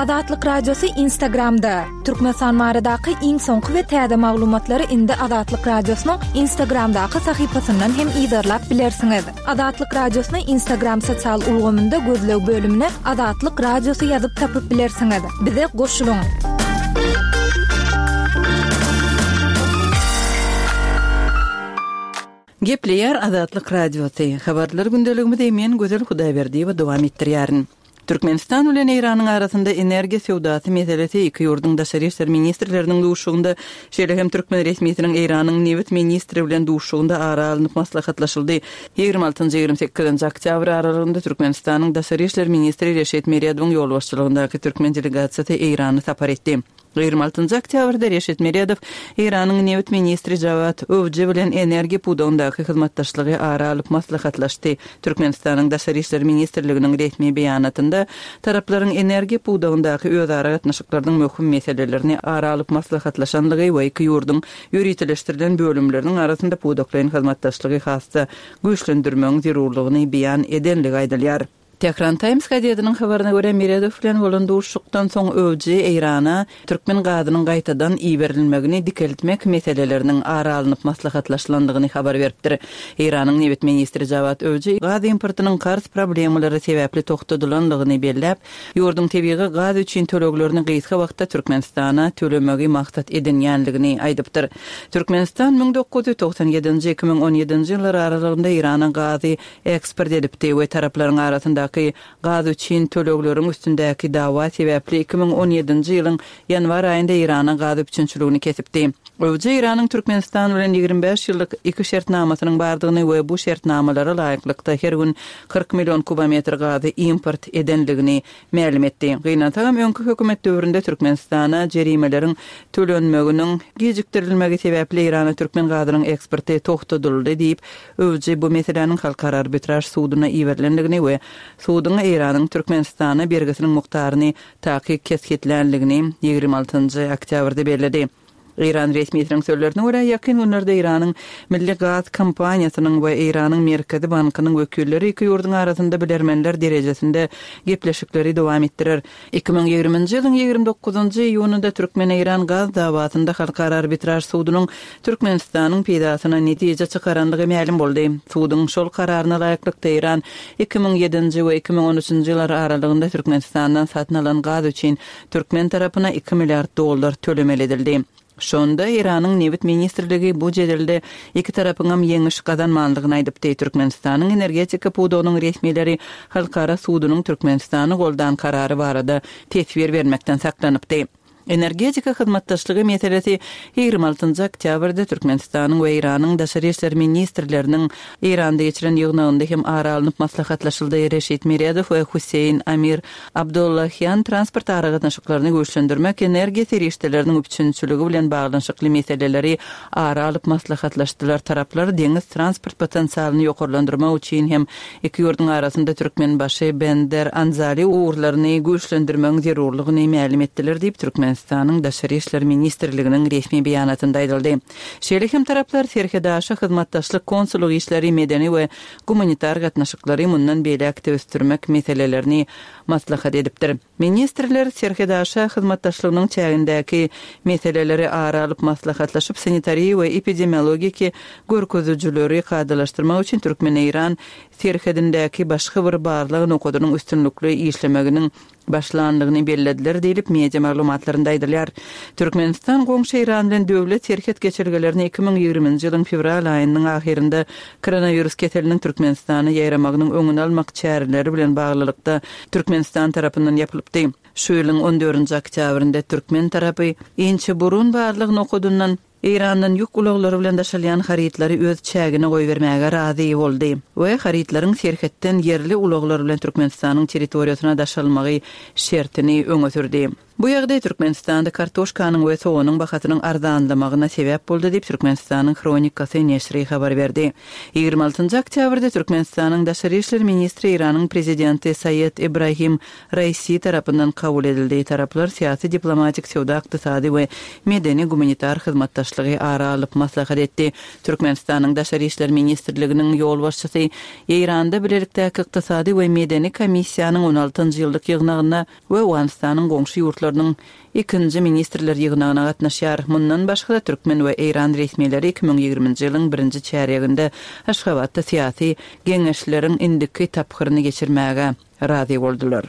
Azatlyk Radiosy Instagramda! Türkmenistan baradaky iň soňky we täze maglumatlary indi Azatlyk Radiosynyň Instagramdaky sahypasyndan hem yzarlap bilersiňiz. Azatlyk Radiosyny Instagram sosial ulgamynda gözleg bölümine Azatlyk Radiosy ýazyp tapyp bilersiňiz. Bize goşulyň! Gepleýär Azatlyk Radiosy, Habarlar gündeligimizi men Gözel Hudaýberdiýewa dowam etdirýärin. Türkmenistan bilen Eýranyň arasynda energiýa söwdasy meselesi iki ýurduň daşary işler ministrleriniň duşuşygynda, şeýle hem türkmen resmisiniň Eýranyň nebit ministri bilen duşuşygynda ara alnyp maslahatlaşyldy. Ýigrimi altynjy, 28-nji oktýabr aralygynda Türkmenistanyň daşary işler ministri Reşit Meredowyň ýolbaşçylygyndaky türkmen delegasiýasy Eýrana sapar etdi. 26 oktýabrda Reşit Meredow Eýranyň nebit ministri Jawad Owji bilen energiýa pudagyndaky hyzmatdaşlygy ara alyp maslahatlaşdy. Türkmenistanyň Daşary işler ministrliginiň resmi beýanatynda taraplaryň energiýa pudagyndaky özara gatnaşyklarynyň möhüm meselelerini ara alyp maslahatlaşandygy we iki ýurduň ýöriteleşdirilen bölümleriniň arasynda pudaklaýyn hyzmatdaşlygy has-da güýçlendirmegiň zerurlygyny beýan edenligi aýdylýar. Tehran Times gazetiniň habaryna görä, Meredow bilen bolan duşuşykdan soň Öwji Eýrana türkmen gazynyň gaýtadan iberilmegini dikeltmek meseleleriniň ara alnyp maslahatlaşylandygyny habar beripdir. Eýranyň nebit ministri Jawad Öwji gaz importynyň karz problemalary sebäpli togtadylandygyny belläp, ýurduň tebigy gaz üçin töleglerini gysga wagtda Türkmenistana tölemegi maksat edinýändigini aýdypdyr. Türkmenistan 1997-nji, 2017-nji ýyllar aralygynda Eýrana gazy eksport edipdi we taraplaryň arasyndaky gaz üçin tölegleriň üstündäki dawa sebäpli 2017-nji ýylyň ýanwar aýynda Eýrana gaz üpjünçiligini kesipdi. Öwji Eýranyň Türkmenistan bilen 25 ýyllyk iki şertnamasynyň bardygyny we bu şertnamalara laýyklykda her gün 40 million kubometr gazy import edendigini mälim etdi. Gynansagam, öňki hökümet döwründe Türkmenistana jerimeleriň tölenmeginiň gijikdirilmegi sebäpli Eýrana türkmen gazynyň eksporty togtadyldy diýip, Öwji bu meseläniň Halkara arbitraž suduna iberilendigini we suduň Eýranyň Türkmenistana bergisiniň mukdaryny takyk kesgitländigini 26-njy oktýabrda belledi. Eýran resmisiniň sözlerine görä, ýakyn günlerde Eýranyň Milli gaz kompaniýasynyň we Eýranyň Merkezi bankynyň wekilleri iki ýurduň arasynda bilermenler derejesinde gepleşikleri dowam etdirer. 2020-nji ýylyň 29-njy iýunynda türkmen-eýran gaz dawasynda Halkara arbitraž sudunyň Türkmenistanyň peýdasyna netije çykarandygy mälim boldy. Suduň şol kararyna laýyklykda Eýran 2007-nji we 2013-nji ýyllar aralygynda Türkmenistandan satyn alan gaz üçin türkmen tarapyna iki milliard dollar tölemeli edildi. Şonda Eýranyň Nebit ministrligi bu jedelde iki tarapyňam ýeňiş gazanmandygyny aýdypdy. Türkmenistanyň energetika pudagynyň resmileri Halkara sudunyň Türkmenistany goldan karary barada teswir bermekden saklanypdy. Energetika hyzmatdaşlygy meselesi 26-njy oktýabrda Türkmenistanyň we Eýranyň daşary işler ministrleriniň Eýranda geçiren ýygnagynda hem ara alnyp maslahatlaşyldy. Reşit Meredow we Hüseýin Amir Abdollahian transport aragatnaşyklaryny güýçlendirmek, energiýa serişdeleriniň üpjünçiligi bilen baglanyşykly meseleleri ara alyp maslahatlaşdylar. Taraplar deňiz transport potensialyny ýokarlandyrmak üçin hem iki ýurduň arasynda Türkmenbaşy, Bender, Anzali ugurlaryny güýçlendirmegiň zerurlygyny mälim etdiler diýip, Türkmenistanyň Daşary işler ministrliginiň resmi beýanatynda aýdyldy. Şeýle hem taraplar serhetaşa hyzmatdaşlyk, konsullyk işleri, medeni we gumanitar gatnaşyklary mundan beýläk-de ösdürmek meselelerini maslahat edipdir. Ministrler serhetaşa hyzmatdaşlygynyň çägindäki meseleleri ara alyp maslahatlaşyp, sanitariýa we epidemiologiki görkezijileri kadalaşdyrmak üçin türkmen-eýran serhedindäki başga bir barlag nokadynyň üstünlikli işlemeginiň başlandygyny bellediler diýlip, media maglumatlarynda aýdylýar. Türkmenistan goňşy Eýran bilen döwlet serhet geçelgelerini 2020-nji ýylyň fewral aýynyň ahyrynda koronawirus keseliniň Türkmenistana ýaýramagynyň öňüni almak çäreleri bilen baglylykda Türkmenistan tarapyndan ýapylypdy. Şu ýylyň on dördünji oktýabrynda türkmen tarapy Inçeburun barlag nokadyndan Eýrandan ýük ulaglary bilen daşalýan harytlary öz çägine goýbermäge razy boldy we harytlaryň serhetden ýerli ulaglar bilen Türkmenistanyň territoriýasyna daşalmagy şertini öňe sürdi. Bu ýagdaý Türkmenistanda kartoşkanyň we soganyň bahasynyň arzanlamagyna sebäp boldy diýip, Türkmenistanyň Hronikasy neşiri habar berdi. 26 oktýabrda Türkmenistanyň daşary işler ministri Eýranyň prezidenti Saýed Ibrahim Raisi tarapyndan kabul edildi. Taraplar syýasy-diplomatik, söwda-ykdysady we medeni-gumanitar hyzmatdaşlygy ara alyp maslahat etdi. Türkmenistanyň Daşary işler ministrliginiň ýolbaşçysy Eýranda bilelikdäki ykdysady we medeni komissiýanyň on altynjy ýyllyk ýygnagyna we Owganystanyň goňşy ýurtlarynyň ikinji ministrler ýygnagyna gatnaşýar. Mundan başga-da, türkmen we eýran resmileri 2020-nji ýylyň birinji çärýeginde Aşgabatda syýasy geňeşleriň indiki tapgyryny geçirmäge razy boldular.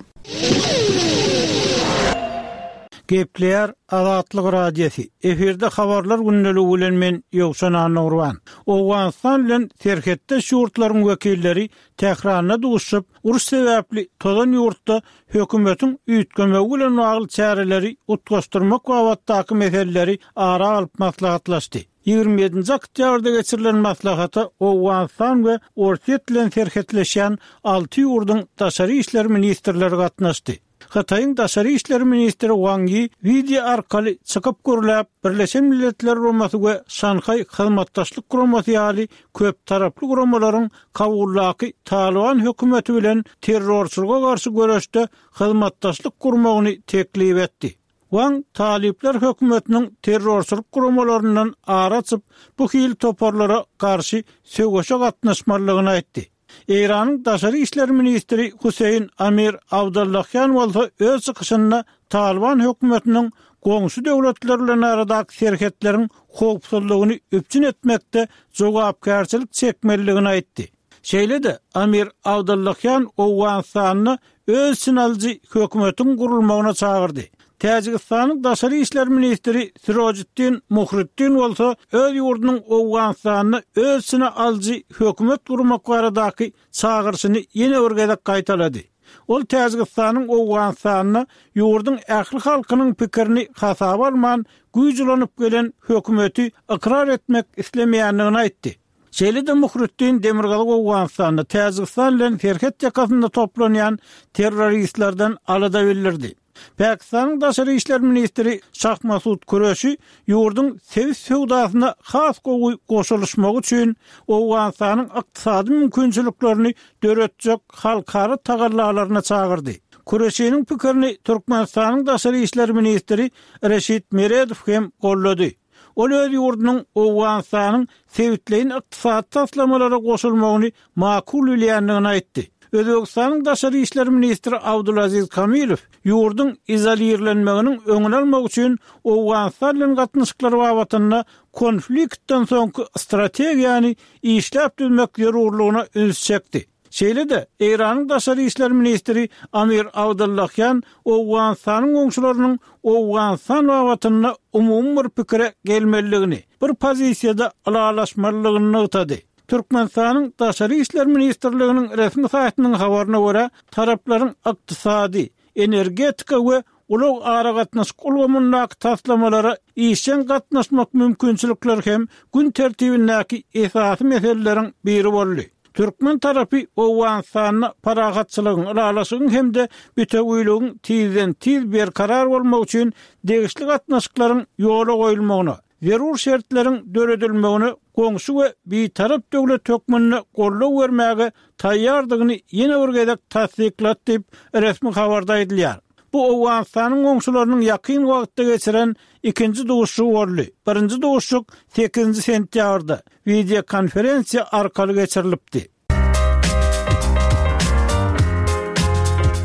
Gepleýär Azatlyk Radiosy, efirde Habarlar gündeligi bilen men Ýowşan Annagurban. Owganystan bilen serhetdeş ýurtlaryň wekilleri Tähranda duşuşyp, uruş sebäpli tozan ýurtda hökümetiň üýtgemegi bilen bagly çäreleri utgaşdyrmak babatdaky meseleleri ara alyp maslahatlaşdy. 27-nji oktýabrda geçirilen maslahata Owganystan we Orsýet bilen serhetleşýän alty ýurduň daşary işler ministrleri gatnaşdy. Hytaýyň daşary işler ministri Wang Ýi wideo arkaly çykyp gürläp, Birleşen Milletler Guramasy we Şanhaý Hyzmatdaşlyk Guramasy ýaly köptaraply guramalaryň Kabuldaky Talyban hökümeti bilen terrorçylyga garşy göreşde hyzmatdaşlyk gurmagyny teklip etdi. Wang talyplar hökümetiniň terrorçylyk guramalaryndan ar açyp, bu hili toparlara garşy söweşe gatnaşmalydygyny aýtdy. Eýranyň daşary işler ministri Huseýin Amir Abdollahian bolsa öz çykyşynda Talyban hökümetiniň goňşy döwletler bilen aradaky serhetleriň howpsuzlygyny üpjün etmekde jogapkärçilik çekmelidigini aýtdy. Şeýle-de, Amir Abdollahian Owganystanda öz içine alyjy hökümetiň gurulmagyna çagyrdy. Täjigistanyň daşary işler ministri Sirojiddin Muhriddin bolsa öz ýurdunyň Owganystanda öz içine alyjy hökümet gurmak baradaky çagyryşyny ýene bir gezek gaýtalady. Ol Täjigistanyň Owganystanda ýurduň ähli halkynyň pikirini hasaba alman güýç ulanyp gelen hökümeti ykrar etmek islemeýändigini aýtdy. Şeýle-de Muhriddin Demirgazyk Owganystanda Täjigistan bilen serhet ýakasynda toplanýan terroristlerden alada bildirdi. Pakistanyň daşary işler ministri Şah Masud Kureşi ýurduň sebit söwdasyna has gowy goşulyşmagy üçin Owganystanyň ykdysady mümkinçiliklerini döretjek halkara tagallalaryna çagyrdy. Kureşiniň pikirini Türkmenistanyň daşary işler ministri Reşit Meredow hem goldady. Ol öz ýurdunyň Owganystanyň sebitleýin ykdysady taslamalara goşulmagyny makul bilýändigini aýtdy. Özbegistanyň daşary işler ministri Abdulaziz Kamilow ýurduň izolirlenmeginiň öňüni almak üçin Owganystan bilen gatnaşyklar babatynda konfliktden soňky strategiýany işläp düzmek zerurlygyna üns çekdi. Şeýle-de, Eýranyň daşary işler ministri Amir Abdullahian Owganystanyň goňşularynyň Owganystan babatynda umumy bir pikire gelmelidigini, bir pozisiýada ylalaşmalydygyny nygtady. Türkmenistanyň Daşary işler ministrliginiň resmi saýtynyň habaryna görä, taraplaryň ykdysady, energetika we ulag-aragatnaşyk ulgamyndaky taslamalara işjeň gatnaşmak mümkinçilikleri hem gün tertibindäki esasy meseleleriň biri boldy. Türkmen tarapy Owganystanda parahatçylygyň, ylalaşygyň hem-de bitewüligiň tizden-tiz berkarar bolmagy üçin degişli gatnaşyklaryň ýola goýulmagyna, zerur şertleriň döredilmegine goňşy we bitarap döwlet hökmünde goldaw bermäge taýýardygyny ýene bir gezek tassyklady diýip, resmi habarda aýdylýar. Bu Owganystanyň goňşularynyň ýakyn wagtda geçiren ikinji duşuşygy boldy. Birinji duşuşyk sekizinji sentýabrda, wideokonferensiýa arkaly geçirilipdi.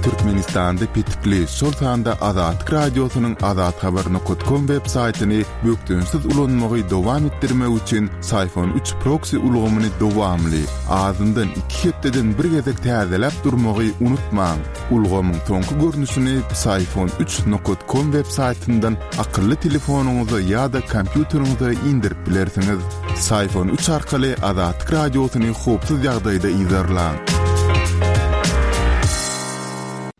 Türkmenistanda petikli, şol sanda Azatlyk Radiosynyň azathabar nokat kom web saýtyny bökdençsiz ulanmagy dowam etdirmek üçin Syfon üç proksi ulgamyny dowamly, azyndan iki hepdeden bir gezek täzeläp durmagy unutmaň. Ulgamyň soňky görnüşini Psiphon üç nokat kom web saýtyndan akylly telefonyňyza ýa-da kompýuteriňize indirip bilersiňiz. Psiphon üç arkaly Azatlyk Radiosyny howpsuz ýagdaýda yzarlaň.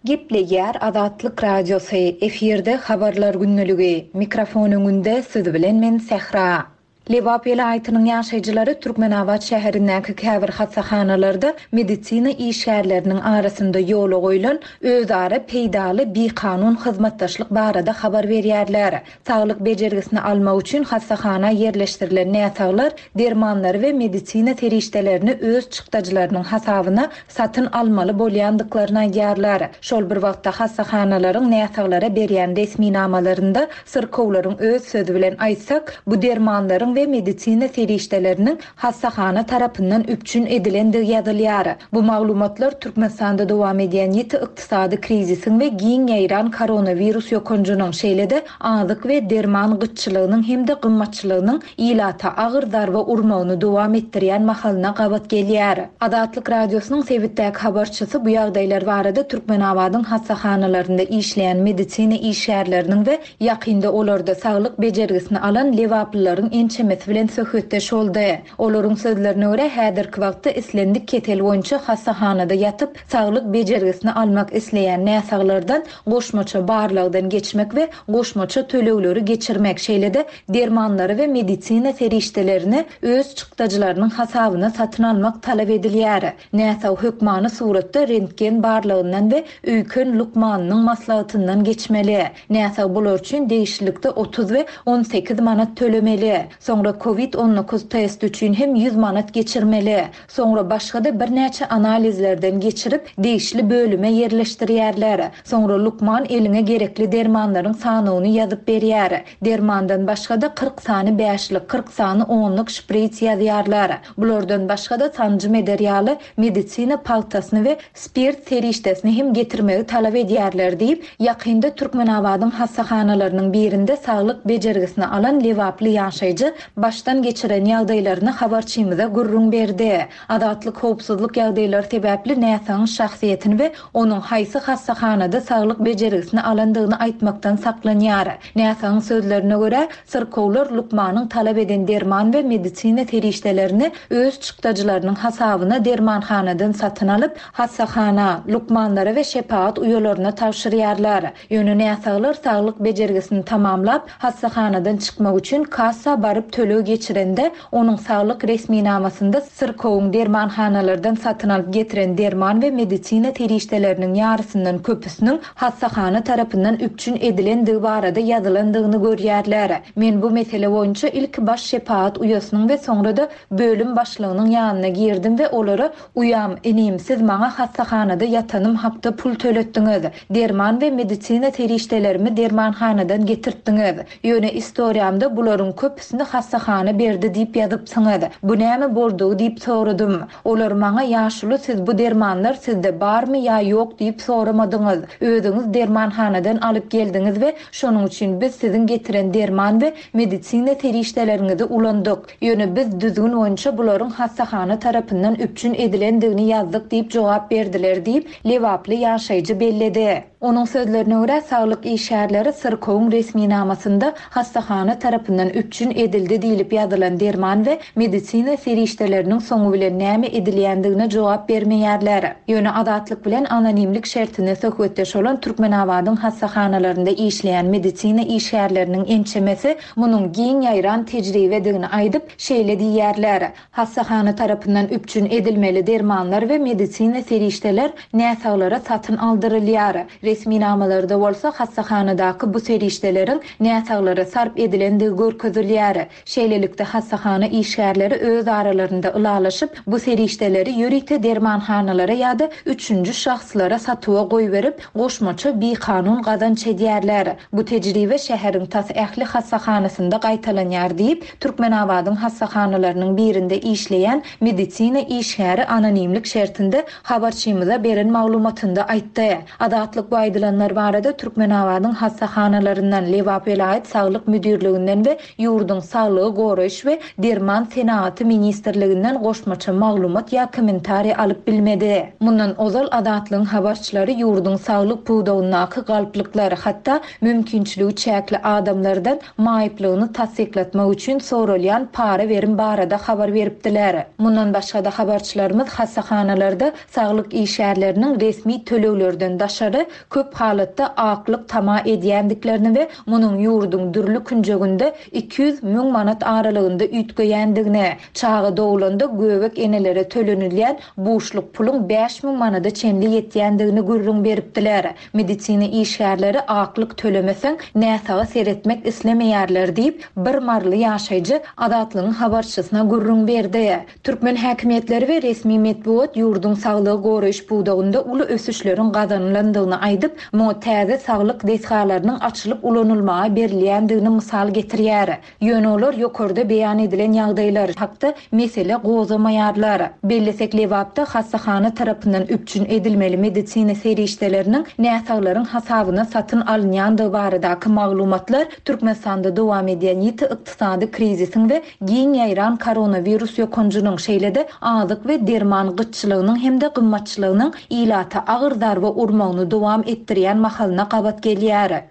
Gepleýär Azatlyk Radiosy, efirde Habarlar gündeligi, mikrofon öňünde siz bilen men Sähra. Lebap welaýatynyň ýaşaýjylary Türkmenabat şäherindäki käbir hassahanalarda medisina işgärleriniň arasynda ýola goýlan özara peýdaly bikanun hyzmatdaşlyk barada habar berýärler. Saglyk bejergisini almak üçin hassahana ýerleşdirilen näsaglar dermanlary we medisina serişdelerini öz çykdajylarynyň hasabyna satyn almaly bolýandyklaryny aýdýarlar. Şol bir wagtda hassahanalaryň näsaglara berýän resminamalarynda syrkawlaryň öz sözi bilen aýtsak, bu dermanlaryň we medisina serişdeleriniň hassahana tarapyndan üpjün edilendigi ýazylýar. Bu maglumatlar Türkmenistanda dowam edýän ýiti ykdysady krizisiň we giň ýaýran koronawirus ýokanjynyň, şeýle-de azyk we derman gytçylygynyň hem-de gymmatçylygynyň ilata agyr zarba urmagyny dowam etdirýän mahalyna gabat gelýär. Azatlyk Radiosynyň sebitdäki habarçysy bu ýagdaýlar barada Türkmenabadyň hassahanalarynda işleýän medisina işgärleriniň we ýakynda olarda saglyk bejergisini alan lebaplylaryň ençemesi bilen söhbetdeş boldy. Olaryň sözlerine görä, häzirki wagtda islendik kesel boýunça hassahanada ýatyp, saglyk bejergisini almak isleýän näsaglardan goşmaça barlagdan geçmek we goşmaça tölegleri geçirmek, şeýle-de dermanlary we medisina serişdelerini öz çykdajylarynyň hasabyna satyn almak talap edilýär. Näsag hökmany suratda rentgen barlagyndan we öýken lukmanynyň maslahatyndan geçmeli. Näsag bular üçin degişlilikde 30 we 18 manat tölemeli. Soňra covid 19 testi üçin hem 100 manat geçirmeli. Soňra başga-da birnäçe analizlerden geçirip, degişli bölüme ýerleşdirýärler. Soňra lukman eliňe gerekli dermanlaryň sanawyny ýazyp berýär. Dermandan başga-da 40 sany bäşlik, 40 sany onluk şpris ýazýarlar. Bulardan başga-da sanjym eder ýaly medisina pagtasyny we spirt serişdesini hem getirmegi talap edýärler diýip, ýakynda Türkmenabadyň hassahanalarynyň birinde saglyk bejergisini alan lebaply ýaşaýjy başdan geçiren ýagdaýlaryny habarçymyza gürrüň berdi. Azatlyk howpsuzlyk ýagdaýlary sebäpli näsagyň şahsyýetini we onuň haýsy hassahanada saglyk bejergisini alandygyny aýtmakdan saklanýar. Näsagyň sözlerine görä, syrkawlar lukmanyň talap eden derman we medisina serişdelerini öz çykdajylarynyň hasabyna dermanhanadan satyn alyp, hassahana, lukmanlara we şepagat uýalaryna tabşyrýarlar. Ýöne näsaglar saglyk bejergisini tamamlap, hassahanadan çykmak üçin kassa baryp töleg geçirende, onuň saglyk resminamasynda syrkawyň dermanhanalardan satyn alyp getiren derman we medisina serişdeleriniň ýarysyndan köpüsiniň hassahana tarapyndan üpjün edilendigi barada ýazylandygyny görýärler. Men bu mesele boýunça ilki baş şepagat uýasynyň we soňra-da bölüm başlygynyň ýanyna girdim we olara Uýam, inim, siz maňa hassahanada ýatanym hakda pul töletdiňiz. Derman we medisina serişdelerimi dermanhanadan getirtdiňiz. Ýöne istoriýamda bularyň köpüsini hassahana berdi diýip ýazypsyňyz. Bu näme boldugy diýip soradym. Olar maňa ýaşuly siz bu dermanlar sizde barmy ýa ýok diýip soramadyňyz. Özüňiz dermanhanadan alyp geldiňiz we şonuň üçin biz siziň getiren derman we medisina serişdeleriňizi ulandyk. Ýöne biz düzgün boýunça bularyň hassahana tarapyndan üpjün edilendigini ýazdyk diýip jogap berdiler diýip, lebaply ýaşaýjy belledi. Onuň sözlerine görä, saglyk işgärleri syrkawyň resminamasynda hassahana tarapyndan üpjün edildi diýlip ýazylan derman we medisina serişdeleriniň soňy bilen näme edilýändigine jogap bermeýärler. Ýöne Azatlyk bilen anonimlik şertinde söhbetdeş bolan Türkmenabadyň hassahanalarynda işleýän medisina işgärleriniň ençemesi munuň giň ýaýran tejribedigini aýdyp, şeýle diýýärler, Hassahana tarapyndan üpjün edilmeli dermanlar we medisina serişdeler näsaglara satyn aldyrylýar. Resminamalarda bolsa hassahanadaky bu serişdeleriň näsaglara sarp edilendigi görkezilýär. Şeýlelikde, hassahana işgärleri öz aralarynda ylalaşyp, bu serişdeleri ýörite dermanhanalara ýa-da üçünji şahslara satuwa goýberip, goşmaça bikanun gazanç edýärler. Bu tejribe şäheriň tas ähli hassahanasynda gaýtalanýar diýip, Türkmenabadyň hassahanalarynyň birinde işleýän medisina işgäri anonimlik şertinde habarçymyza beren maglumatynda aýtdy. Azatlyk bu aýdylanlar barada Türkmenabadyň hassahanalaryndan, Lebap welaýat saglyk müdirliginden we ýurduň Saglygy goraýyş we derman senagaty ministrliginden goşmaça maglumat ýa kommentariý alyp bilmedi. Mundan ozal Azatlygyň habarçylary ýurduň saglyk pudagyndaky galplyklar, hatda mümkinçiligi çäkli adamlardan maýyplygyny tassyklatmak üçin soralýan para-berim barada habar beripdiler. Mundan başga-da habarçylarymyz hassahanalarda saglyk işgärleriniň resmi töleglerden daşary köp halatda aklyk tama edýändiklerini we munuň ýurduň dürli künjeginde 200 müň. manat aralygynda üýtgeýändigini, çaga dogulanda göbek enelere tölenilýän buşluk puluň 5000 manada çenli ýetýändigini gürrüň beripdiler. Medisina işgärleri aklyk tölemeseň, näsaga seretmek islemeýärler diýip, bir maryly ýaşaýjy Azatlygyň habarçysyna gürrüň berdi. Türkmen häkimiýetleri we resmi metbugat ýurduň saglygy goraýyş pudagynda uly ösüşleriň gazanylandygyny aýdyp, muňa täze saglyk desgalarynyň açylyp ulanylmaga berilýändigini mysal getirýär. Ýöne olar ýokarda beýan edilen ýagdaýlar hakda mesele gozgamaýarlar. Bellesek, Lebapda hassahana tarapyndan üpjün edilmeli medisina serişdeleriniň näsaglaryň hasabyna satyn alynýandygy baradaky maglumatlar Türkmenistanda dowam edýän ýiti ykdysady krizisiň we giň ýaýran koronawirus ýokanjynyň, şeýle-de azyk we derman gytçylygynyň hem-de gymmatçylygynyň ilata agyr zarba urmagyny dowam etdirýän mahalyna gabat gelýär.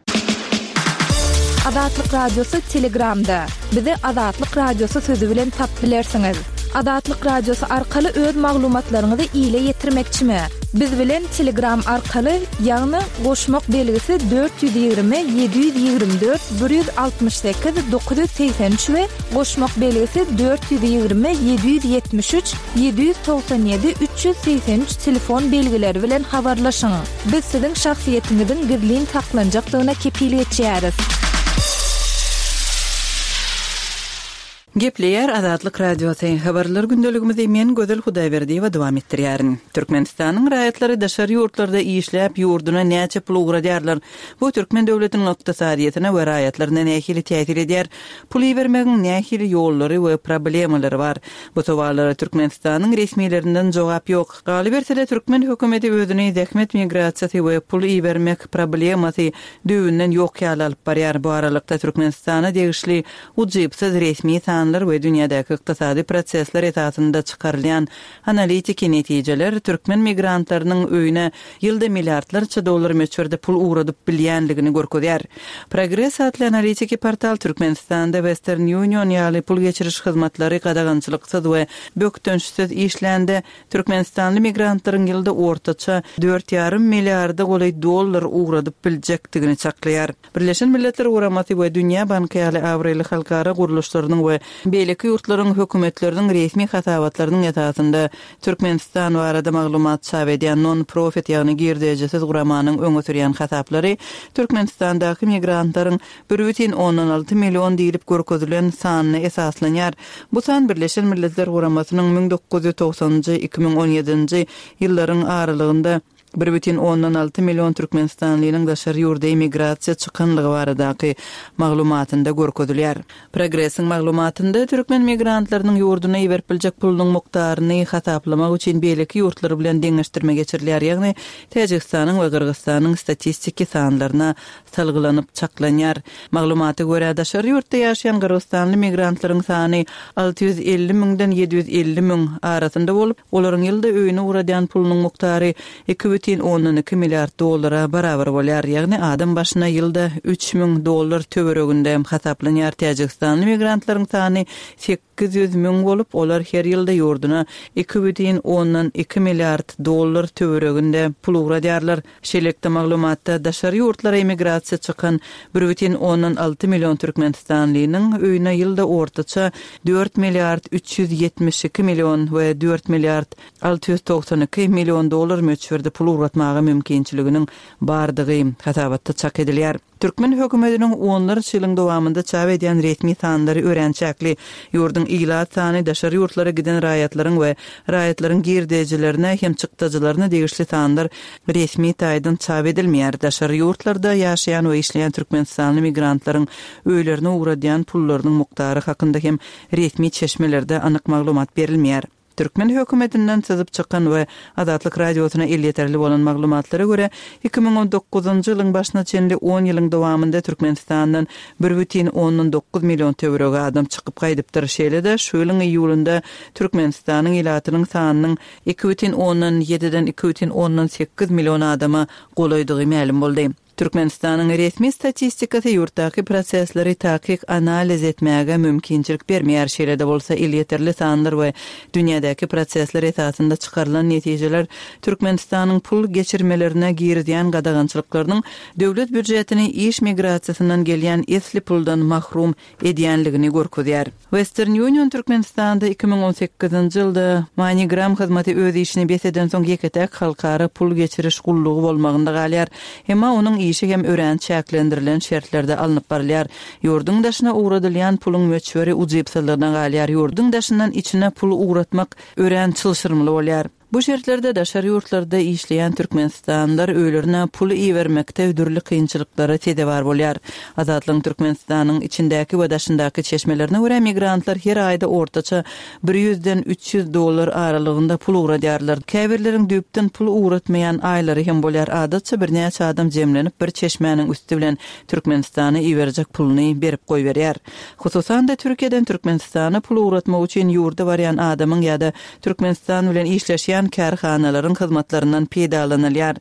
Azatlyk Radiosy Telegramda, Bizi Azatlyk Radiosy sözi bilen tap bilersiňiz. Azatlyk Radiosy arkaly öz maglumatlaryňyzy ile ýetirmekçimi? Biz bilen Telegram arkaly, ýagny goşmak belgisi 420 724 168 983 we goşmak belgisi 420 773 797 383 telefon belgileri bilen habarlaşyň. Biz siziň şahsyýetiňiziň gizlin saklanjakdygyna kepil geçýäris. Gepleýär Azatlyk Radiosy, Habarlar gündeligimizi men Gözel Hudaýberdiýewa dowam etdirýärin. Türkmenistanyň raýatlary daşary ýurtlarda işläp, ýurduna näçe pul ugradýarlar? Bu türkmen döwletiniň ykdysadyýetine we raýatlaryna nähili täsir edýär? Pul ibermegiň nähili ýollary we problemalary bar? Bu sowallara Türkmenistanyň resmilerinden jogap ýok. Galyberse-de, türkmen hökümeti özüni zähmet migrasiýasy we pul ibermek problemasy düýbünden ýok ýaly alyp barýar. Bu aralykda Türkmenistana degişli ujypsyz resmi sanlar we dünýädäki ykdysady prosesler esasynda çykarylýan analitiki netijeler türkmen migrantlarynyň öýüne ýylda milliardlarça dollar möçberde pul ugradyp bilýändigini görkezýär. Progress atly analitiki portal Türkmenistanda Western Union ýaly pul geçiriş hyzmatlary gadagançylyksyz we bökdençsiz işlände, türkmenistanly migrantlaryň ýylda ortaça dört ýarym milliarda golaý dollar ugradyp biljekdigini çaklaýar. Birleşen Milletler Guramasy we Dünýä Banky ýaly abraýly halkara gurluşlarynyň we beýleki ýurtlaryň hökümetleriniň resmi hasabatlarynyň esasynda Türkmenistan barada maglumat çap edýän non-profit, ýagny girdejisiz guramanyň öňe sürýän hasaplary Türkmenistandaky migrantlaryň bir bütin ondan alty million diýlip görkezilen sanyna esaslanýar. Bu san Birleşen Milletler Guramasynyň 1990-njy, 2017-nji ýyllaryň aralygynda Bir bütin ondan alty million türkmenistanlynyň daşary ýurda emigrasiýa çykanlygy baradaky maglumatynda görkezilýär. Progressiň maglumatynda türkmen migrantlarynyň ýurduna iberip biljek pulunyň mukdaryny hasaplamak üçin beýleki ýurtlar bilen deňeşdirme geçirilýär, ýagny Täjigistanyň we Gyrgyzystanyň statistiki sanlaryna salgylanyp çaklanýar. Maglumata görä, daşary ýurtda ýaşaýan gyrgyzystanly migrantlaryň sany 650 müňden 750 müň arasynda bolup, olaryň ýylda öýüne ugradýan pulunyň mukdary 2,2 milliard dollara barabar bolýar, ýagny adam başyna ýylda 3000 dollar töwereginde hasaplanýar. Täjigistanly migrantlaryň sany 800 müň bolup, olar her ýylda ýurduna 2,2 milliard dollar töwereginde pul ugradýarlar. Şeýlelikde, maglumatda daşary ýurtlara emigrasiýa çykan bir bütin ondan alty million türkmenistanlynyň öýüne ýylda ortaça dört milliard 372 million we dört milliard 692 million dollar möçberde pul ugratmaga mümkinçiliginiň bardygy hasabatda çak edilýär. Türkmen hökümetiniň onlarça ýylyň dowamynda çap edýän resmi sanlary örän çäkli. Ýurduň ilat sany, daşary ýurtlara giden raýatlaryň we raýatlaryň girdejilerine hem çykdajylaryna degişli sanlar resmi taýdan çap edilmeýär. Daşary ýurtlarda ýaşaýan we işleýän türkmenistanly migrantlaryň öýlerine ugradýan pullarynyň mukdary hakynda hem resmi çeşmelerde anyk maglumat berilmeýär. Türkmen hökümetinden syzyp çykan we Azatlyk Radiosyna elýeterli bolan maglumatlara görä, 2019-njy ýylyň başyna çenli on ýylyň dowamynda Türkmenistandan bir bütin ondan dokuz million töweregi adam çykyp gaýdypdyr. Şeýle-de, şu ýylyň iýulynda Türkmenistanyň ilatynyň sanynyň iki bütin ondan ýediden iki bütin ondan sekiz million adama golaýdygy mälim boldy. Türkmenistanyň resmi statistikasy ýurtdaky prosesleri takyk analiz etmäge mümkinçilik bermeýär, şeýle-de bolsa elýeterli sanlar we dünýädäki prosesler esasynda çykarylan netijeler Türkmenistanyň pul geçirmelerine girizýän gadagançylyklarynyň döwlet býujetini iş migrasiýasyndan gelýän esli puldan mahrum edýänligini görkezýär. Western Union Türkmenistanda 2018-nji ýylda MoneyGram hyzmaty öz işini bes edensoň ýeke-täk halkara pul geçiriş gullugy bolmagynda galýar. Emma onuň işi hem örän çäklendirilen şertlerde alnyp barylýar. Ýurduň daşyna ugradylýan puluň möçberi ujypsyzlygyna galýar, ýurduň daşyndan içine pul ugratmak örän çylşyrymly bolýar. Bu şertlerde daşary ýurtlarda işleýän türkmenistanlylar öýlerine pul ibermekde dürli kynçylyklara sezewar bolýar. Azatlygyň Türkmenistanyň içindäki we daşyndaky çeşmelerine görä, migrantlar her aýda ortaça bir ýüzden 300 dollar aralygynda pul ugradýarlar. Käbirleriň düýpden pul ugratmaýan aýlary hem bolýar. Adatça birnäçe adam jemlenip bir çeşmäniň üsti bilen Türkmenistana iberjek puluny berip goýberýär. Hususan-da, Türkiýeden Türkmenistana pul ugratmak üçin ýurda barýan adamyň ýa-da Türkmenistan bilen işleşýän kärhanalaryň hyzmatlaryndan peýdalanylýar.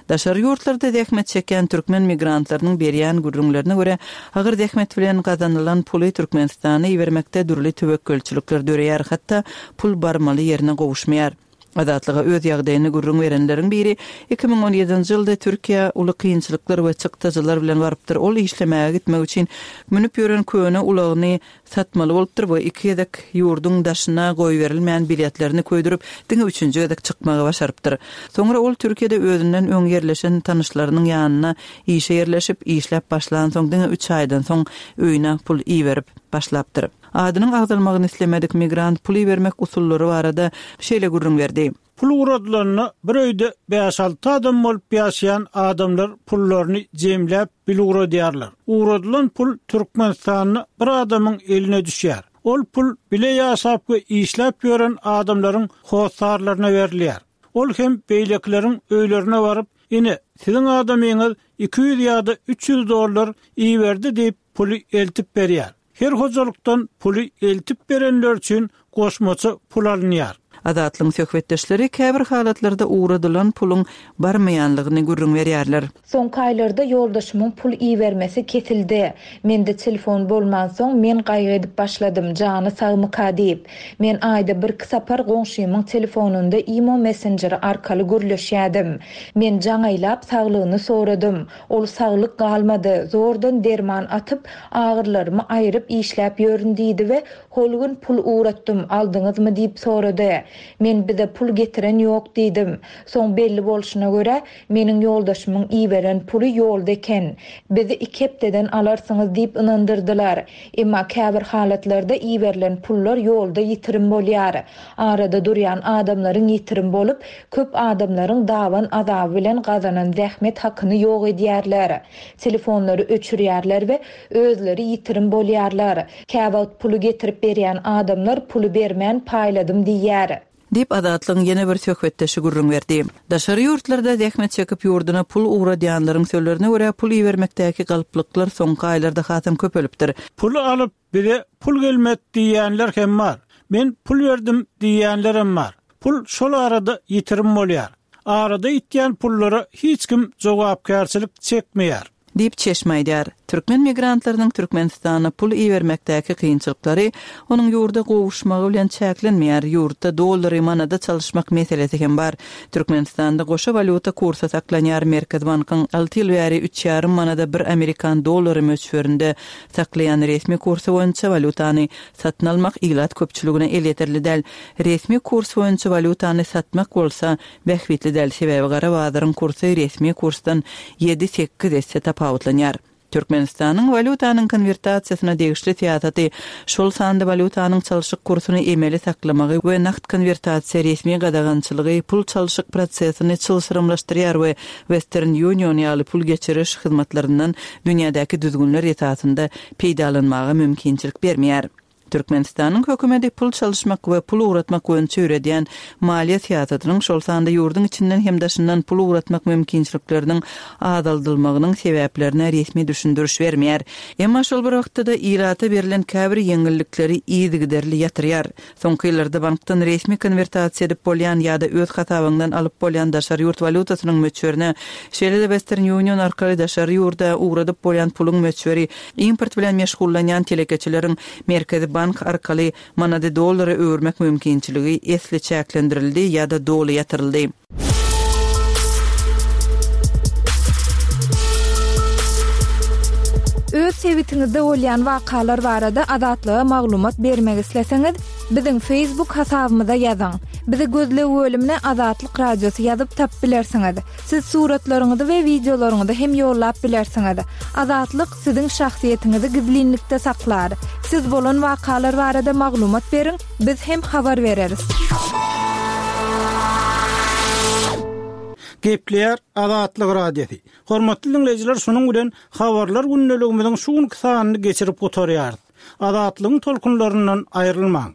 Daşary ýurtlarda zähmet çekýän türkmen migrantlarynyň berýän gürrüňlerine görä, agyr zähmet bilen gazanylan puly Türkmenistana ibermekde dürli töwekgelçilikler döreýär, hatda pul barmaly ýerine gowuşmaýar. Azatlyga öz ýagdaýyny gürrüň berenleriň biri 2017-nji ýylda Türkiýä uly kynçylyklar we çykdajylar bilen barypdyr. Ol işlemäge gitmek üçin münüp ýören köne ulagyny satmaly bolupdyr we iki gezek ýurduň daşyna goýberilmän biletlerini köýdürip, diňe üçünji gezek çykmagy başarypdyr. Soňra ol Türkiýede özünden öň ýerleşen tanyşlarynyň ýanyna işe ýerleşip, işläp başlansoň diňe üç aýdan soň öýüne pul iberip başlapdyr. Adynyň agzalmagyny islemedik migrant pul ibermek usullary barada şeýle gürrüň berdi. Pul ugradylanda bir öýde bäş-alty adam bolup ýaşaýan adamlar pullaryny jemläp bile ugradýarlar. Ugradylan pul Türkmenistanda bir adamyň eline düşýär. Ol pul bile ýaşap we işläp ýören adamlaryň hossarlaryna berilýär. Ol hem beýlekileriň öýlerine baryp, ine, siziň adamyňyz 200 ýa-da 300 dollar iberdi diýip, puly eltip berýär. Her hojalykdan puly eltip berenler üçin goşmaça pul alynýar. Azatlygyň söhbetdeşleri käbir halatlarda ugradylan puluň barmaýanlygyny gürrüň berýärler. Soňky aýlarda ýoldaşymyň pul ibermesi kesildi. Mende telefon bolmansoň, men gaýgy edip başladym, jany sagmyka diýip. Men aýda birki sapar goňşymyň telefonynda imo messenjeri arkaly gürleşýädim. Men jaň aýlap saglygyny soradym. Ol saglyk galmady, zordan derman atyp, agyrylarymy aýryp işläp ýörün diýdi we hol gün pul ugratdym, aldyňyzmy diýip sorady. Men bize pul getiren ýok diýdim. Soň belli bolşuna görä, meniň ýoldaşymyň iberen puly ýolda eken. Bizi iki hepdeden alarsyňyz diýip ynandyrdylar. Emma käbir halatlarda iberilen pullar ýolda ýitirim bolýar. Arada durýan adamlaryň ýitirim bolup, köp adamlaryň daban azaby bilen gazanan zähmet hakyny ýok edýärler. Telefonlary öçürýärler we özleri ýitirim bolýarlar. Käwagt puly getirip berýän adamlar puly bermän paýladym diýýär. Diýip, Azatlygyň ýene bir söhbetdeşi gürrüň berdi. Daşary ýurtlarda zähmet çekip ýurduna pul ugradýanlaryň sözlerine görä, pul ibermekdäki galplyklar soňky aýlarda hasam köpelipdir. Puly alyp, Bize pul gelmedi diýýänler hem bar. Men pul berdim diýýänlerem bar. Pul şol arada ýitirim bolýar. Arada ýitýän pullara hiç kim jogapkärçilik çekmeýär. Diýip, çeşme aýdýar. Türkmen migrantlarynyň Türkmenistana pul ibermekdäki kynçylyklary onuň ýurda gowuşmagy bilen çäklenmeýär. Ýurtda dollary manada çalyşmak meselesi hem bar. Türkmenistanda goşa walýuta kursy saklanýar, Merkezi bankyň alty ýyl bäri üç ýarym manada bir amerikan dollary möçberinde Saklaýan resmi kursy boýunça walýutany satyn almak ilat köpçüligine elýeterli däl. Resmi kurs boýunça walýutany satmak bolsa bähbitli däl, sebäbi gara bazaryň kursy resmi kursdan ýedi-sekiz esse tapawutlanýar. Türkmenistanyň walýutanyň konwertasiýasyna degişli syýasaty, şol sanda walýutanyň çalşyk kursuny emeli saklamagy we nagt konwertasiýa resmi gadagançylygy pul çalşyk prosesini çylşyrymlaşdyrýar we Western Union ýaly pul geçiriş hyzmatlaryndan dünýädäki düzgünler esasynda peýdalanmaga mümkinçilik bermeýär. Türkmenistanyň hökümeti pul çalyşmak we pul ugratmak boýunça ýöredýän maliýe syýasatynyň, şol sanda ýurduň içinden hem daşyndan pul ugratmak mümkinçilikleriniň azaldylmagynyň sebäplerine resmi düşündiriş bermeýär. Emma şol bir wagtda-da ilata berlen käbir ýeňillikleri yzygiderli ýatyrýar. Soňky ýyllarda bankdan resmi konwertasiýa edip bolýan ýa-da öz hasabyňdan alyp bolýan daşary ýurt walýutasynyň möçberine, şeýle-de Western Union arkaly daşary ýurda ugradyp bolýan puluň möçberi import bilen meşgullanýan telekeçileriň Merkezi bank arkaly manady dollara öwürmek mümkinçiligi esli çäklendirildi ýa-da doly ýatyryldy. Öz sebitiňizde bolýan wakalar barada Azatlyga maglumat bermek isleseňiz, biziň Facebook hasabymyza ýazyň. Bizi gözleg bölümine Azatlyk Radiosy ýazyp tapyp bilersiňiz. Siz suratlaryňyzy we wideolaryňyzy hem ýollap bilersiňiz. Azatlyk siziň şahsyýetiňizi gizlinlikde saklar. Siz bolan wakalar barada maglumat beriň, biz hem habar bereris. Gepleýär Azatlyk Radiosy. Hormatly diňleýjiler şunuň bilen Habarlar gündeligimiziň şu günki sanyny geçirip gutarýarys. Azatlygyň tolkunlaryndan aýrylmaň.